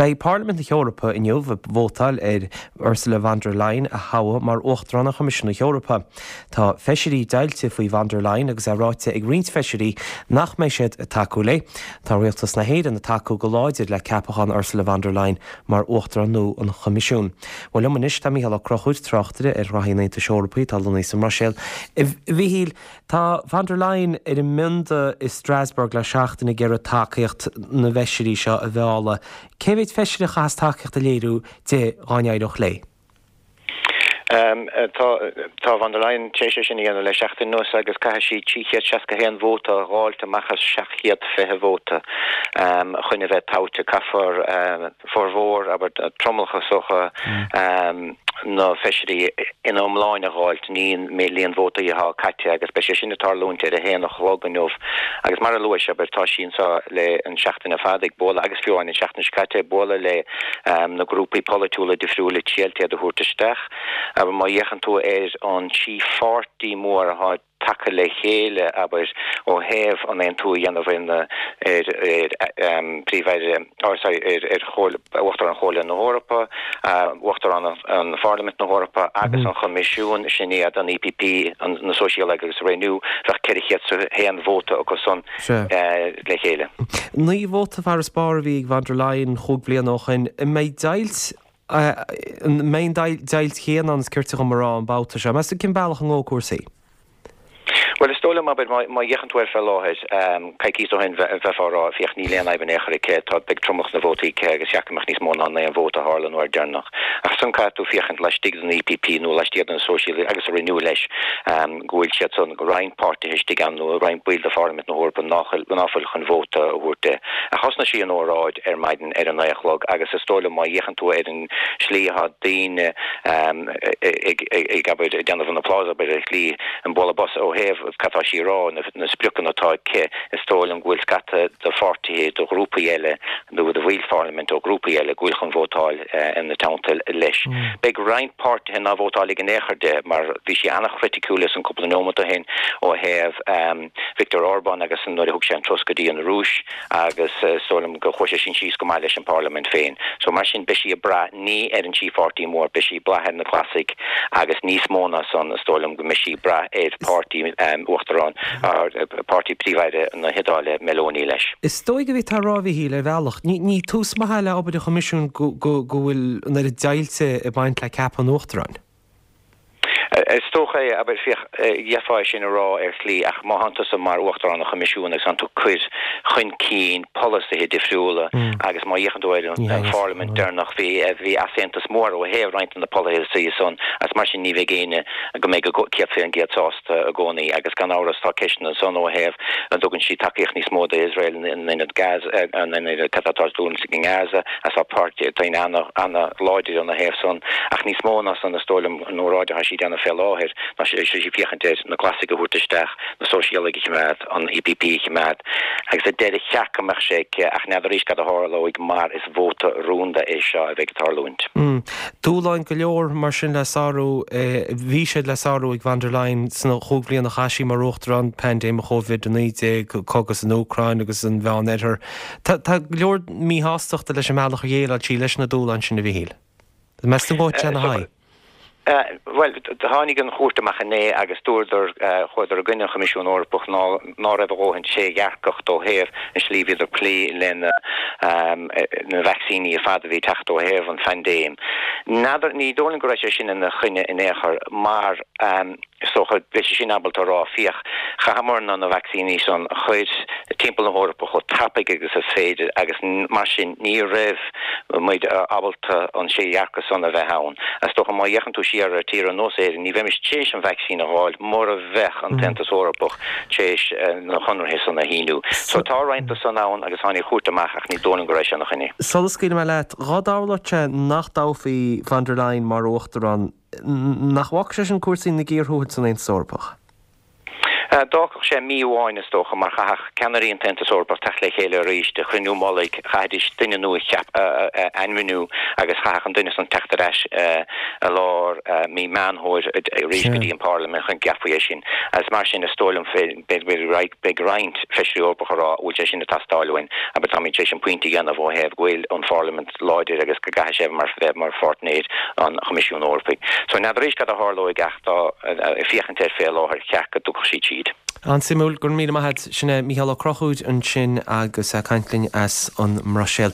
Beidh Parlaimint na hEorpa inniu ag vótáil ar Ursula von der Leyen a thoghadh mar Uachtarán an Choimisiúin na hEorpa. Tá feisirí deighilte faoi von der Leyen agus é ráite ag roinnt feisirí nach mbeidh siad ag tacú léi. Tá Rialtas na hÉireann ag tacú go láidir le ceapachán Ursula von der Leyen mar Uachtarán nua an Choimisiúin. Bhuel liom anois tá Mícheál Ó Conchúir, tráchtaire ar ghraithí an Aontais Eorpaigh atá lonnaithe sa mBruiséil. A Mhíchíl, tá von der Leyen ar an mbionda i Strasbourg le seachtain ag iarraidh tacaíocht na bhfeisirí seo a mhealladh. Cé mhéid feisire a chaithfeas tacaíocht a léiriú di dhá n-éireodh léi? Tá von der Leyen tar éis é sin a dhéanamh le seachtain anuas agus caithfidh sí 361 vóta a dh'fháilt amach as 720 vóta chun a bheith toghte. Caithfear formhór, abair, tromlach is dócha, na feisirí ina iomláine a dh'fháilt, ní an líon vótaí atá caite agus beidh sé sin ag tarlúint ar a haon a chlog inniu. Agus mar a luais, abair, tá sí anseo le an seachtain ar fad ag bualadh, agus fiú amháin an seachtain seo caite, ag bualadh le na grúpaí polaitiúla difriúla triail iad a thabhairt isteach. Abair, má fhéachann tú ar an trí pháirtí mór atá tagtha le chéile, abair, ó thaobh an aontú a dhéanamh ar na, ar, ar Príomh-Aire, or sorry, ar, ar Chomhairle, Uachtarán Chomhairle na hEorpa, Uachtarán an Pharlaimint na hEorpa agus an Choimisiún, sin iad an EPP, an, na Sóisialaigh agus Renew, bheadh 401 vóta acu san le chéile. 9 vóta farasbarr a bhí ag von der Leyen chúig bhliana ó shin. An mbeidh deighilt, an mbeidh an deighilt chéanna ann is cirte dhom a rá an babhta seo? Meas tú cén bealach a ngabhfaidh cúrsaí? Bhuel, is dóigh liom, abair, má fhéachann tú air fé láthair, coicís ó shin bheifeá ag rá, féach, níl aon fhadhb in aon chor aici, tá, beidh tromlach na vótaí aici agus cheart go mbeadh níos mó ná an aon vóta a tharla an uair deireanach. Ach ansan caithfidh tú féachaint laistigh den EPP nó laistigh de na Sóisialaigh agus a Renew leis, go bhfuil siad san, roinnt páirtithe istigh ann nó roinnt baill de Pharlaimint na hEorpa ná fuil chun vóta a thabhairt di. Ach thosnaigh sí an óráid ar maidin ar a naoi a chlog agus is dóigh liom má fhéachann tú ar an slí atá daoine ag, ag, abair, ag déanamh an applause, abair, ar shlí, an bualadh bos ó thaobh cad tá sí a rá, na spriocanna atá aici, is dóigh liom go bhfuil scata de pháirtithe, de ghrúpaí eile nó de bhaill pharlaiminte ó ghrúpaí eile go bhfuil chun vótáil ina teannta leis. Beidh roinnt páirtithe ná vótálfaidh in aon chor di mar bhí sí an-chriticiúil ansan cúpla neomat ó shin ó thaobh Viktor Orbán agus nuair a thug sé an turas go dtí an Rúis agus is dóigh liom gur chuaigh sé sin síos go maith leis an bparlaimint féin. So mar sin beidh sí ag brath ní ar an trí pháirtí mór, beidh sí ag brath ar na Glasaigh agus níos mó ná san is dóigh liom go mbeidh sí ag brath ar pháirtí Uachtarán, páirtí Príomh-Aire na hIodáile, Meloni leis. Is dóigh go bhféadfá a rá, a Mhíchíl, ar bhealach, ní tús maith é le obair an Choimisiúin go bhfuil an oiread deighilte ag baint le ceapadh an Uachtaráin. Is dócha é, abair, féach, d'fhéadfá é sin a rá ar shlí ach má thánn tusa mar Uachtarán an Choimisiúin agus tánn tú ag cur chun cinn polasaithe difriúla agus má fhéachann tú ar an Pharlaimint deireanach bhí, bhí easaontas mór ó thaobh roinnt de na polasaithe san agus mar sin ní bheidh éinne go mbeidh 100% sásta i gcónaí agus gan amhras tá ceisteanna ansan ó thaobh an dtugann sí tacaíocht níos mó d'Iosrael in ionad Gaza, in ionad cad atá ag tarlúint i nGaza agus tá páirtí daoine ana-láidir ina thaobh san ach níos mó ná san is dóigh liom an óráid atá sí ag déanamh fé láthair ná sí ag féachaint ar na Glasaigh a thabhairt isteach, na Sóisialaigh a chimeád, an EPP a chimeád agus ar deireadh cheart go mbeadh sé aici ach n'fheadar arís cad a tharlóidh mar is vóta rúnda é seo a bheidh ag tarlúint. Dúshláin go leor mar sin le sárú, bhí siad le sárú ag von der Leyen sna chúig bhliana a chaith sí mar Uachtarán, paindéim Covid-19, cogadh san Úcráin agus an Mheán-Oirthear. Tá go leor míshástachta leis an mbealach ar dhéileáil sí leis na dúshláin sin, a Mhíchíl. Meas tú an ngabhfaidh sé ina haghaidh? Bhuel, tháinig an chúirt amach inné agus dúradar, chuadar i gcoinne an Choimisiún Eorpach ná ná raibh a dhóthain trédhearcacht ó thaobh an slí a bhíodar ag plé lena na vacsaíní ar fad a bhí ag teacht ó thaobh an phaindéim. N'fheadar, ní dóigh liom go raibh sé sin ina choinne in aon chor mar, Is dócha, beidh sé sin ábalta a rá, féach, chaitheamarna na vacsaíní san a chur timpeall na hEorpa chomh tapaidh agus is féidir agus mar sin ní raibh muid ábalta an trédhearcacht san a bheith ann. Is dócha má fhéachann tú siar ar tír ar nós Éirinn, ní bheimis tar éis an vacsaín a dh'fháil mura bheadh an tAontas Eorpach tar éis na conarthaí san a shíniú. So tá roinnt de san ann agus tháinig an chúirt amach ach ní dóigh liom go raibh sé ina choinne. Sula scaoilfidh mé leat, dhá dtarlódh sé nach dtoghfaí von der Leyen mar Uachtarán, Nach bhfágfadh sé sin cúrsaí ina gcíor thuathail san Aontas Eorpach? D'fhágfadh sé mí amháin, is dócha, mar chaithfeadh ceannairí an tAontas Eorpach teacht le chéile arís do chruinniú mullaigh, chaithfidís duine nua a ainmniú agus chaithfeadh an duine san teacht ar ais i lár mí Meán Fómhair arís go dtí an Pharlaimint chun go gceapfaí é sin. Agus mar sin, is dóigh liom, beidh roinnt Feisirí Eorpacha ag rá an bhfuil sé sin ag teastáil uainn, abair táimid tar éis an pointe a dhéanamh ó thaobh go bhfuil an Pharlaimint láidir agus go gcaithfidh sé bheith mar pháirtnéir an Choimisiúin Eorpaigh. So n'fheadar arís cad a tharlóidh ach tá ag féachaint air fé láthair, cheart go dtiocfadh siad tríd. An-suimiúil, go raibh míle maith a't. Sin é Mícheál Ó Conchúir ansin agus é ag caint linn as an mBruiséil.